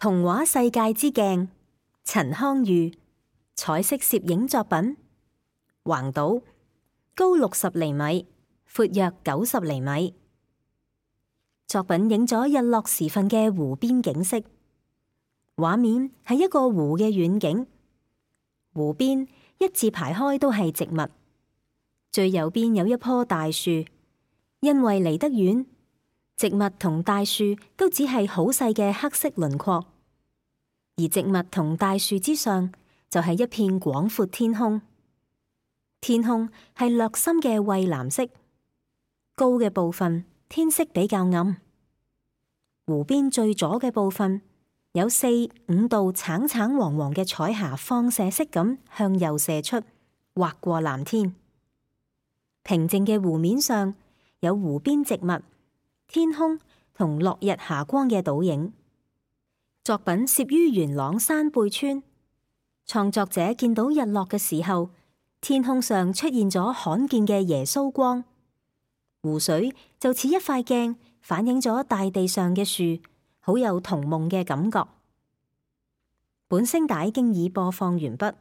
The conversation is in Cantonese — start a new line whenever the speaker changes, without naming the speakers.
童話世界之鏡，陳康裕，彩色攝影作品，橫島，高60厘米，闊約90厘米。作品影咗日落時分嘅湖邊景色，畫面係一個湖嘅遠景，湖邊一字排開都係植物，最右邊有一棵大樹，因為離得遠，植物同大樹都只係好細嘅黑色輪廓，而植物同大樹之上就係一片廣闊天空。天空係略深嘅蔚藍色，高嘅部分天色比較暗。湖邊最左嘅部分有4、5道橙橙黃黃嘅彩霞放射式咁向右射出，劃過藍天。平靜嘅湖面上有湖邊植物、天空同落日霞光嘅倒影。作品攝於元朗山背村，創作者見到日落嘅時候，天空上出現咗罕見嘅耶穌光，湖水就似一塊鏡，反映咗大地上嘅樹，好有童夢嘅感覺。本聲帶經已播放完畢。